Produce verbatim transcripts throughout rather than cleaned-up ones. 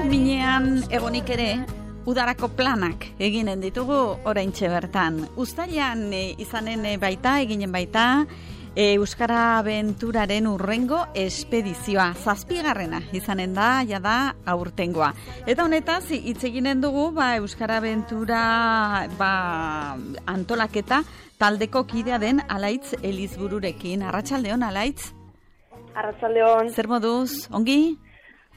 minean egonik ere, udarako planak eginen ditugu oraintxe bertan. Uztailean e, izanen baita, eginen baita, e, Euskara Abenturaren urrengo espedizioa. Zazpigarrena izanen da, jada aurtengoa. Eta honetaz, hitz eginen dugu, ba, Euskara Abentura ba, antolaketa taldeko kidea den Alaitz Elizbururekin. Arratsaldeon, Alaitz? Arratsaldeon. Zer moduz, ongi?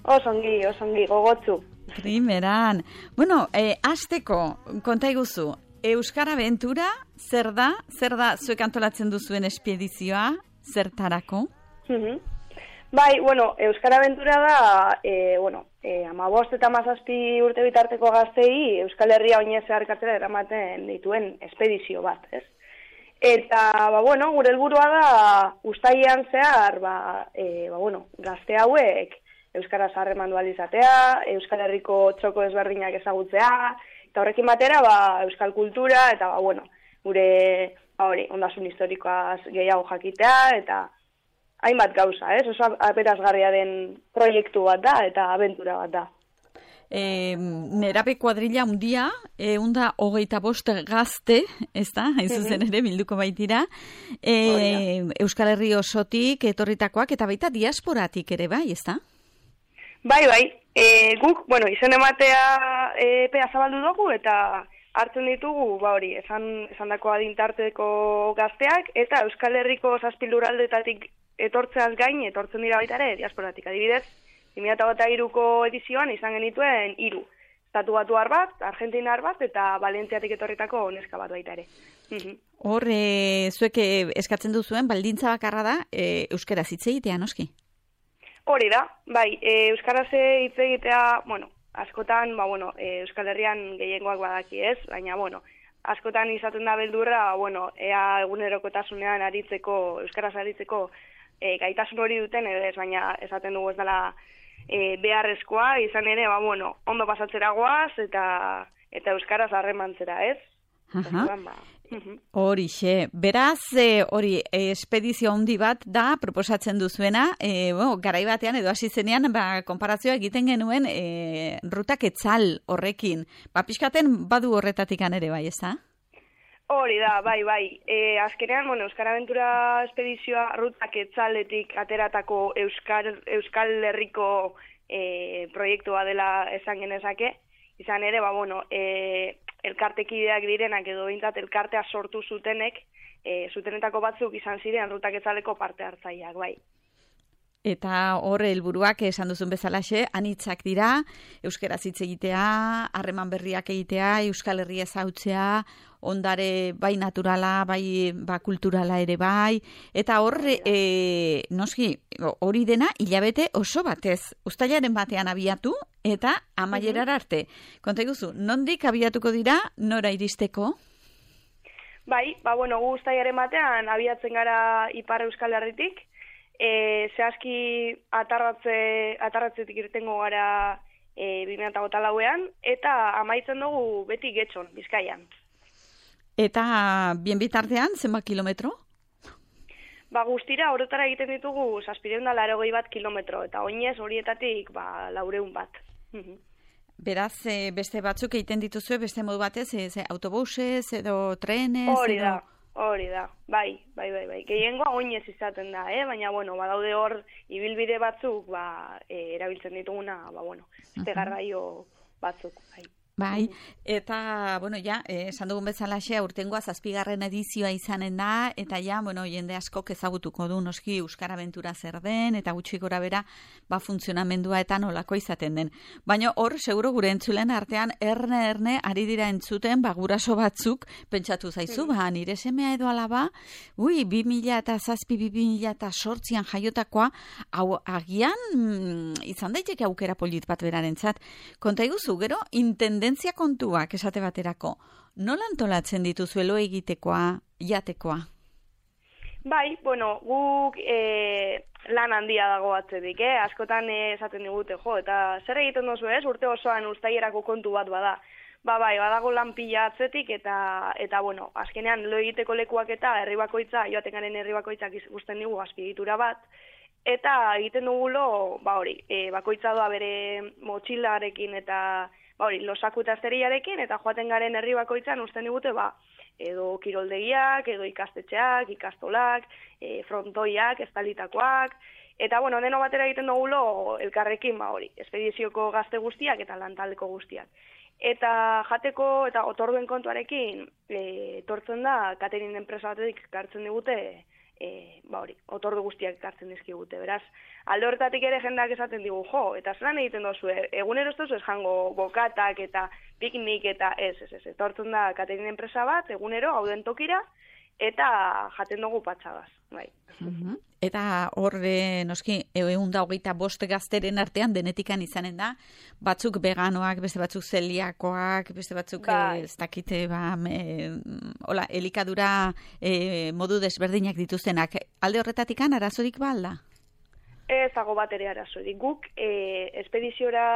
Osongi, osongi, gogotzu. Primeran. Bueno, eh, azteko, konta iguzu, Euskara Abentura, zer da? Zer da zuek antolatzen duzuen espedizioa? Zertarako? Mm-hmm. Bai, bueno, Euskara Abentura da, eh, bueno, eh, amabost eta amazazpi urte bitarteko gaztei Euskal Herria oinez zeharkatzera eramaten dituen espedizio bat, ez? Eta, ba, bueno, gure helburua da, uztailean zehar, ba, eh, ba, bueno, gazte hauek, Euskaraz harremandu ahal izatea, Euskal Herriko txoko ezberdinak ezagutzea, eta horrekin batera, ba, euskal kultura, eta, ba, bueno, gure, ba, hori, ondasun historikoaz gehiago jakitea, eta hainbat gauza, ez? Oso aberazgarria den proiektu bat da, eta abentura bat da. E, nerabe kuadrilla undia, e, unda hogeita bost gazte, ez da, hain zuzen ere bilduko baitira, e, Euskal Herri osotik etorritakoak, eta baita diasporatik ere bai, ez da? Bai, bai, e, guk, bueno, izen ematea epea zabaldu dugu eta hartzen ditugu, ba hori, esan, esan dako adintarteko gazteak, eta Euskal Herriko zazpi lurraldetatik etortzeaz gain, etortzen dira baita ere, diasporatik. Adibidez, bi mila hogeita hiruko edizioan izan genituen hiru. Estatu Batuar bat, Argentinar bat, eta Valentziatik etorritako neska bat baita ere. Hor, e, zuek eskatzen duzuen, baldintza bakarra da, e, euskaraz hitz egitea, noski? Hori da, bai, e, euskaraz hitz egitea, bueno, askotan, ba, bueno, e, Euskal Herrian gehiengoak badaki ez, baina, bueno, askotan izaten da beldurra, bueno, ea egunerokotasunean aritzeko, euskaraz aritzeko e, gaitasun hori duten, edo ez, baina esaten dugu ez dela e, beharrezkoa, izan ere, ba, bueno, ondo pasatzera goaz, eta, eta euskaraz harremantzera, ez? Aha. Horixe, beraz, e, hori, espedizio handi bat da, proposatzen duzuena, e, bueno, garai batean edo hasi zenean, ba, konparazioa egiten genuen e, rutak etzal horrekin. Ba, pixkaten badu horretatik ere bai, ez da? Hori da, bai, bai. E, azkenean, bueno, Euskara Abentura espedizioa rutak etzaletik ateratako Euskal, Euskal Herriko e, proiektua dela esan genezake. Izan ere, ba, bueno, e, elkartekideak direnak edo bintzat elkartea sortu zutenek, e, zutenetako batzuk izan ziren rutak etzaleko parte hartzaileak, bai. Eta hor helburuak esan duzun bezalaxe, anitzak dira, euskaraz hitz egitea, harreman berriak egitea, Euskal Herria ezautzea, ondare bai naturala, bai ba, kulturala ere bai, eta hor, e, noski, hori dena hilabete oso batez, uztailaren batean abiatu, eta amaierara arte. Konta iguzu, nondik abiatuko dira, nora iristeko? Bai, ba, bueno, gu uztailaren batean abiatzen gara Ipar Euskal Herritik, e, zehazki atarratze, atarratzetik irtengo gara e, bi mila hogeita lauean, eta amaitzen dugu beti Getxon, Bizkaian. Eta bien bitartean, zenbat kilometro? Ba, guztira, horretara egiten ditugu zazpiehun eta laurogei bat kilometro, eta oinez horietatik, ba, laureun bat. Beraz, e, beste batzuk egiten dituzue, beste modu batez, e, ze, autobusez edo trenez? Hori da, edo... hori da, bai, bai, bai, bai. Gehiengoa oinez izaten da, eh? Baina, bueno, badaude hor, ibilbide batzuk, ba, e, erabiltzen dituguna, ba, bueno, beste garraio batzuk, bai. Bai, eta, bueno, ja, esan dugun bezalaxe, aurtengoa zazpigarren edizioa izanen da, eta ja, bueno, jende askok ezagutuko du noski Euskara Abentura zer den, eta gutxi gora bera, ba, funtzionamendua eta nolako izaten den. Baina hor, seguro gure entzulen artean, erne-erne ari dira entzuten, ba, guraso batzuk, pentsatu zaizu, ba, nire semea edo alaba, ui, bi mila eta zazpi, bi mila eta sortzian jaiotakoa, hau, agian, mm, izan daiteke aukera polit bat berarentzat. Konta iguzu, gero, intende tendentzia kontuak esate baterako, nola antolatzen dituzuelo egitekoa, jatekoa? Bai, bueno, guk e, lan handia dago atzetik, eh? Askotan esaten digute, jo, eta zer egiten duzu ez, urte osoan uztailerako kontu bat bada. Ba, bai, badago lan pila atzetik, eta, eta bueno, azkenean lo egiteko lekuak eta herri bakoitza, joaten garen herri bakoitzak ikusten digu azpiegitura bat, eta egiten dugulo, ba hori, e, bakoitza doa bere motxilarekin eta ba hori, losaku eta zeriarekin, eta joaten garen herri bakoitzan usten digute, ba, edo kiroldegiak, edo ikastetxeak, ikastolak, e, frontoiak, estalitakoak, eta bueno, deno batera egiten dugulo elkarrekin, ba hori, espedizioko gazte guztiak eta lantaldeko guztiak. Eta jateko eta otorduen kontuarekin, e, etortzen da, catering enpresa batetik kartzen digute, e, ba hori, otordu guztiak kartzen dizkigute, beraz, alde horretatik ere jendak esaten digu, jo, eta zelan egiten dozu, egunero ez dozu ez jango bokatak eta piknik eta ez, ez, ez, etortzen da catering enpresa bat, egunero, hauden tokira, eta jaten dugu patxagaz, bai. Uh-huh. Eta hor, e, noski, egun da hogeita bost gazteren artean denetikan izanen da, batzuk veganoak, beste batzuk zeliakoak, beste batzuk, bai. e, ez dakite, ba, me, hola, elikadura e, modu desberdinak dituztenak. Alde horretatikan arazorik ba alda? Ez dago bat ere arazorik. Guk, e, espediziora...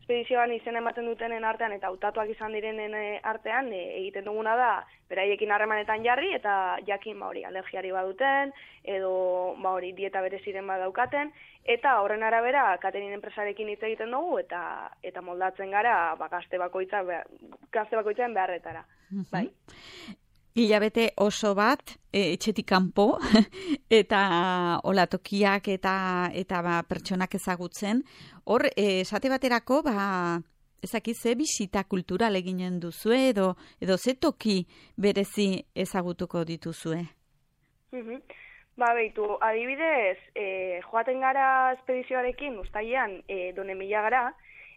Espedizioan izen ematen dutenen artean eta hautatuak izan direnen artean e, egiten duguna da beraiekin harremanetan jarri eta jakin ba hori alergiari baduten edo ba hori dieta bereziren badaukaten eta horren arabera catering enpresarekin hitz egiten dugu eta eta moldatzen gara ba gazte bakoitza gazte bakoitzaren beharretara. Uh-huh. Bai. Hilabete oso bat, e, etxetik kanpo, eta olatokiak eta eta ba, pertsonak ezagutzen. Hor, e, esate baterako, ba, ezaki ze bisita kultural eginen duzue, edo, edo ze toki berezi ezagutuko dituzue? Uh-huh. Ba, behitu, adibidez, e, joaten gara espedizioarekin, ustailean, e, Donemila gara,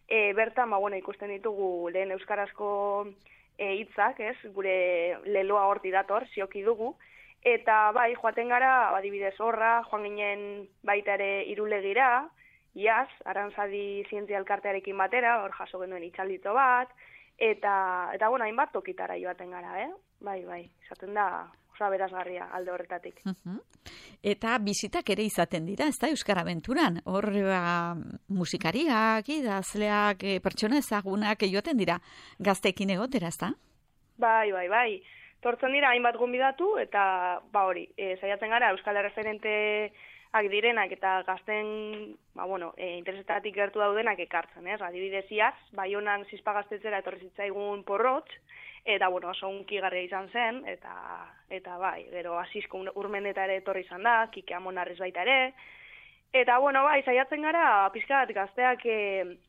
e, bertan, ba, bueno, ikusten ditugu lehen euskarazko E, hitzak, ez, gure leloa horti dator, zioki dugu, eta bai, joaten gara, adibidez horra, joan ginen baita ere Irulegira, iaz, Arantzadi zientzia elkartearekin batera, hor jaso genuen itxaldito bat, eta, eta bueno, hainbat tokitara joaten gara, eh? Bai, bai, izaten da, osa berazgarria alde horretatik. Uh-huh. Eta bizitak ere izaten dira, ez da, Euskara Abenturan. Hor, ba, musikariak, idazleak, e, pertsona ezagunak joaten dira gazteekin egotera, ez da? Bai, bai, bai. Tortzen dira hainbat gonbidatu, eta ba hori, e, saiatzen gara Euskal Erreferenteak direnak eta gazten, ba bueno, e, interesetatik gertu daudenak ekartzen, ez? Adibidez iaz, Baionan zizpa gaztetzera etorri zitzaigun Porrotx, eta, bueno, oso unkigarria izan zen, eta, eta bai, gero Asizko Urmendeta ere etorri izan da, Kike Amonarriz baita ere, eta, bueno, bai, saiatzen gara, pixka bat gazteak e,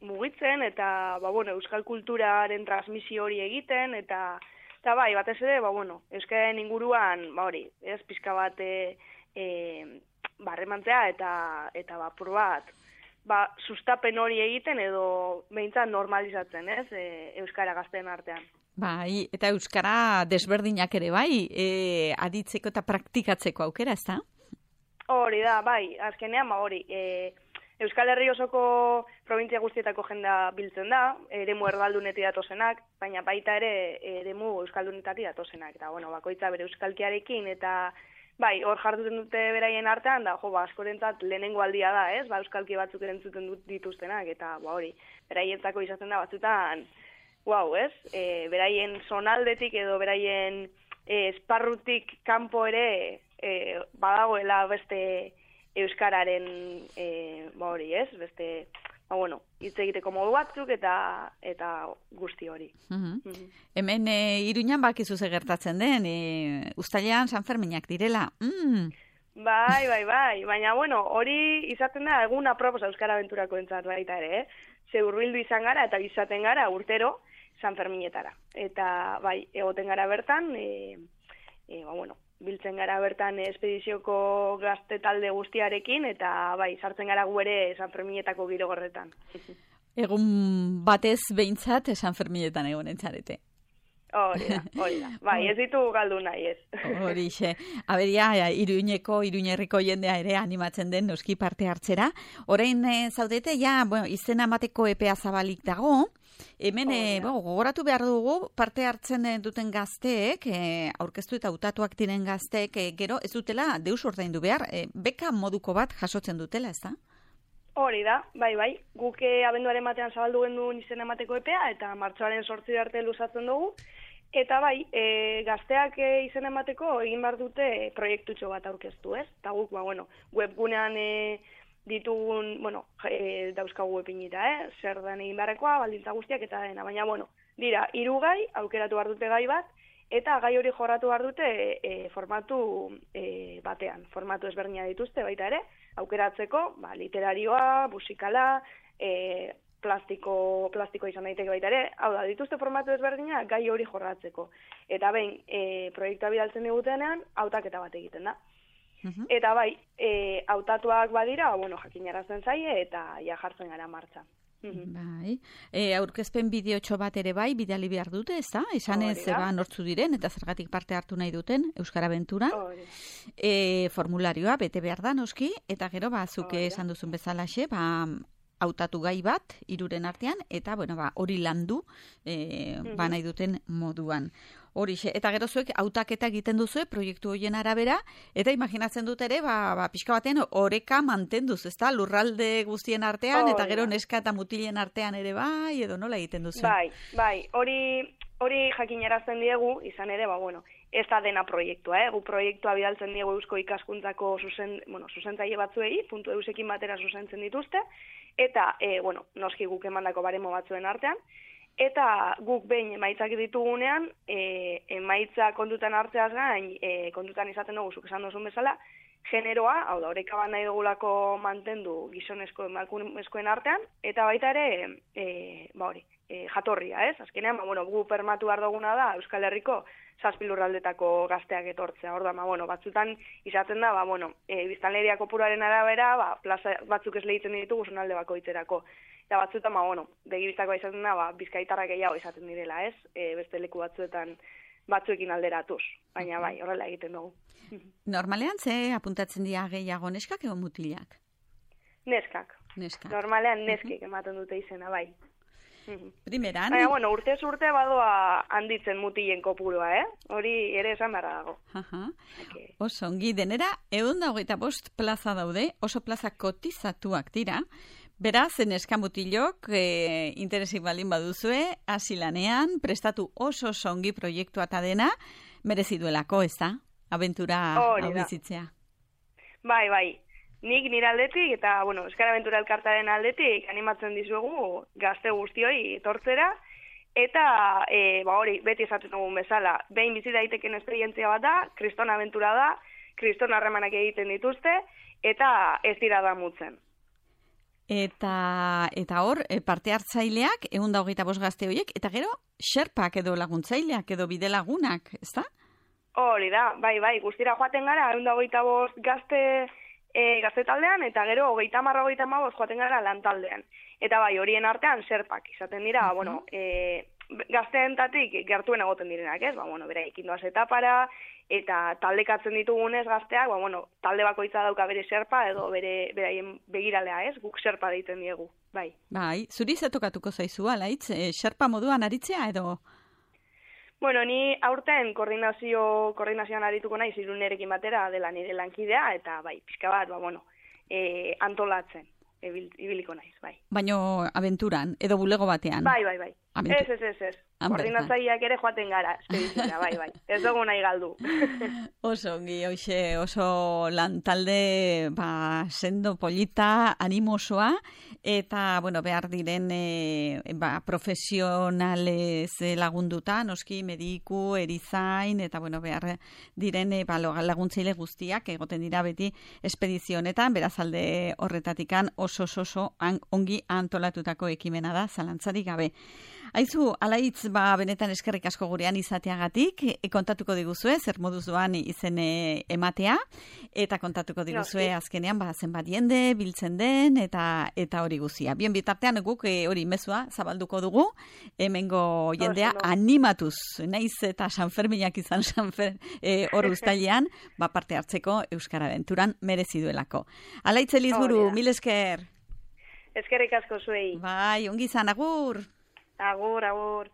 mugitzen, eta, ba, bueno, euskal kulturaren transmisio hori egiten, eta, eta bai, batez ere, ba, bueno, euskaren inguruan, ba, hori, ez, pixka bat, e, e, barremantzea, eta, eta, ba, pur bat, ba, sustapen hori egiten, edo behintzat normalizatzen, ez, e, euskara gazteen artean. Bai, eta euskara desberdinak ere bai, e, aditzeko eta praktikatzeko aukera, ez da? Hori da, bai, azkenean, ba, hori, e, Euskal Herri osoko provintzia guztietako jendea biltzen da, eremu erdaldunetik datozenak, baina baita ere eremu euskaldunetatik datozenak, eta, bueno, bakoitza bere euskalkiarekin, eta, bai, hor jarduten dute beraien artean, da, jo, ba, askorentzat lehenengo aldia da, ez, ba, euskalki batzuk erentzuten dituztenak, eta, ba, hori, beraientzako izaten da batzutan, Wow, ez? E, beraien zonaldetik edo beraien e, esparrutik kanpo ere e, badagoela beste euskararen e, ba hori, ez? Beste, ba bueno, hitz egiteko modu batzuk eta eta guzti hori. Uh-huh. Uh-huh. Hemen e, Iruñan bakizu ze gertatzen den, e, uztailean Sanferminak direla. Mm. Bai, bai, bai, baina bueno, hori izaten da egun apropos Euskara Abenturako entzat baita ere, eh? Ze hurbildu izan gara eta izaten gara urtero Sanferminetara. Eta, bai, egoten gara bertan, e, e, ba, bueno, biltzen gara bertan espedizioko gazte talde guztiarekin, eta, bai, sartzen gara gu ere Sanferminetako giro gorretan. Egun batez behintzat Sanferminetan egonen txarete. Hori da, hori da. Bai, ez ditu galdu nahi ez. Horixe. Aberia, Iruñeko, Iruñerriko jendea ere animatzen den noski parte hartzera. Orain e, zaudete, ja, bueno, izena emateko epea zabalik dago. Hemen, e, bo, gogoratu behar dugu, parte hartzen duten gazteek, e, aurkeztu eta hautatuak diren gazteek, e, gero ez dutela deus ordaindu behar, e, beka moduko bat jasotzen dutela, ez da? Hori da, bai, bai. Guk abenduaren batean zabaldu genduen izena emateko epea, eta martxoaren zortzi arte luzatzen dugu. Eta bai, e, gazteak e, izen emateko egin behar dute proiektutxo bat aurkeztu, ez? Eta guk, ba, bueno, webgunean e, ditugun, bueno, e, dauzkagu epinita, eh? Zer den egin beharrekoa, baldintza guztiak eta dena, baina, bueno, dira, hiru gai, aukeratu behar dute gai bat, eta gai hori jorratu behar dute e, formatu e, batean. Formatu ezberdina dituzte baita ere, aukeratzeko, ba, literarioa, musikala, e, plastiko, plastiko izan daiteke baita ere, hau da, dituzte formatu ezberdina gai hori jorratzeko. Eta behin, e, proiektua bidaltzen digutenean, hautaketa bat egiten da. Uh-huh. Eta bai, e, hautatuak badira, bueno, jakinarazten zaie eta ja jartzen gara martxan. Bai. E, aurkezpen bideotxo bat ere bai, bidali behar dute, ez da? Esan ez zeba nortzu diren, eta zergatik parte hartu nahi duten, Euskara Abenturan. E, formularioa, bete behar da, noski, eta gero, ba, zuke esan duzun bezalaxe, ba, hautatu gai bat, hiruren artean, eta, bueno, ba, hori landu, e, mm-hmm. ba, nahi duten moduan. Horixe, eta gero zuek hautaketa egiten duzue proiektu horien arabera, eta imaginatzen dut ere, ba, ba, pixka batean oreka mantenduz, ezta? Lurralde guztien artean, oh, eta gero neska eta mutilen artean ere bai, edo nola egiten duzu? Bai, bai, hori hori jakinarazten diegu, izan ere, ba, bueno, ez da dena proiektua, eh? Gu proiektua bidaltzen diegu Eusko Ikaskuntzako zuzen, bueno, zuzentzaile batzuei, puntu eusekin batera zuzentzen dituzte, eta, e, bueno, noski guk emandako baremo batzuen artean, eta guk behin emaitzak ditugunean, e, emaitza kontutan hartzeaz gain, e, kontutan izaten dugu, zuk esan duzun bezala, generoa, hau da, horreka bat nahi dugulako mantendu gizonezko emakumezkoen artean, eta baita ere, e, ba hori, e, jatorria, ez? Azkenean, ba, bueno, gu permatu behar duguna da Euskal Herriko zazpi lurraldetako gazteak etortzea. Hor da, ba, bueno, batzutan izaten da, ba, bueno, e, biztanleria kopuruaren arabera, ba, plaza batzuk ez lehitzen ditugu zonalde bakoitzerako. Eta batzutan, ba, bueno, begibiztakoa izaten da, ba, bizkaitarrak gehiago izaten direla, ez? E, beste leku batzuetan batzuekin alderatuz, baina bai, horrela egiten dugu. Normalean ze apuntatzen dira gehiago neskak edo mutilak? Neskak. Neskak. Normalean neskik ematen dute izena, bai. Primeran. Baina, bueno, urtez urte badoa handitzen mutilen kopurua, eh? Hori ere esan beharra dago. Aha. Okay. Oso, ongi denera, ehun da hogeita bost plaza daude, oso plaza kotizatuak dira. Beraz, neska mutilok, e, interesik baldin baduzue, hasi lanean, prestatu oso ongi proiektua eta dena, merezi duelako, ez da? Abentura hau bizitzea. Bai, bai. Nik nire aldetik eta, bueno, Euskara Abentura elkartaren aldetik animatzen dizuegu gazte guztioi etortzera, eta, e, ba hori, beti esaten dugun bezala, behin bizi daiteken esperientzia bat da, kriston abentura da, kriston harremanak egiten dituzte, eta ez dira damutzen. Eta, eta hor, parte hartzaileak, ehun da hogeita bost gazte horiek, eta gero, xerpak edo laguntzaileak edo bide lagunak, ez da? Hori da, bai, bai, guztira joaten gara, ehun da hogeita bost gazte, e, gazte taldean, eta gero, hogeita marra hogeita mabost joaten gara lan taldean. Eta bai, horien artean, xerpak izaten dira, uh-huh. bueno, e, gazteentatik gertuen egoten direnak, ez? Ba, bueno, bera, ikindoaz etapara, eta taldekatzen ditugunez gazteak, ba, bueno, talde bakoitza dauka bere xerpa edo bere beraien begiralea, ez? Guk xerpa deiten diegu, bai. Bai, zuri zetokatuko zaizu, alaitz, e, xerpa moduan aritzea edo? Bueno, ni aurten koordinazio, koordinazioan arituko naiz Irunerekin batera dela nire lankidea, eta bai, pixka bat, ba, bueno, e, antolatzen, ebil, ibiliko naiz, bai. Baino abenturan, edo bulego batean? Bai, bai, bai. Abentura. Ez, ez, ez, ez. Koordinatzaileak ere joaten gara, espediziora, bai, bai. Ez dugu nahi galdu. Oso, ongi, hoxe, oso lan talde, ba, sendo polita, animosoa, eta, bueno, behar diren, e, ba, profesionalez lagunduta, noski, mediku, erizain, eta, bueno, behar diren, e, ba, laguntzaile guztiak, egoten dira beti espedizionetan, beraz alde horretatikan oso, oso, oso, ongi antolatutako ekimena da, zalantzarik gabe. Aizu, alaitz, ba, benetan eskerrik asko gurean izateagatik, e, kontatuko diguzue, zer moduz doan izen e, ematea, eta kontatuko diguzue no, azkenean, ba, zenbat jende, biltzen den, eta eta hori guzia. Bien bitartean guk e, hori mezua zabalduko dugu, hemengo jendea no, no. animatuz, naiz eta Sanferminak izan Sanfer e, hor uztailean, ba, parte hartzeko Euskara Abenturan merezi duelako. Alaitz Elizburu, oh, mil esker. Eskerrik asko zuei. Bai, ongi izan, agur. Agur, agur.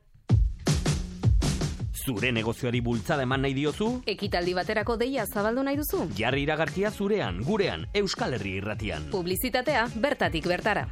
Zure negozioari bultzada eman nahi diozu? Ekitaldi baterako deia zabaldu nahi duzu? Jarri iragarkia zurean, gurean, Euskal Herri Irratian. Publizitatea bertatik bertara.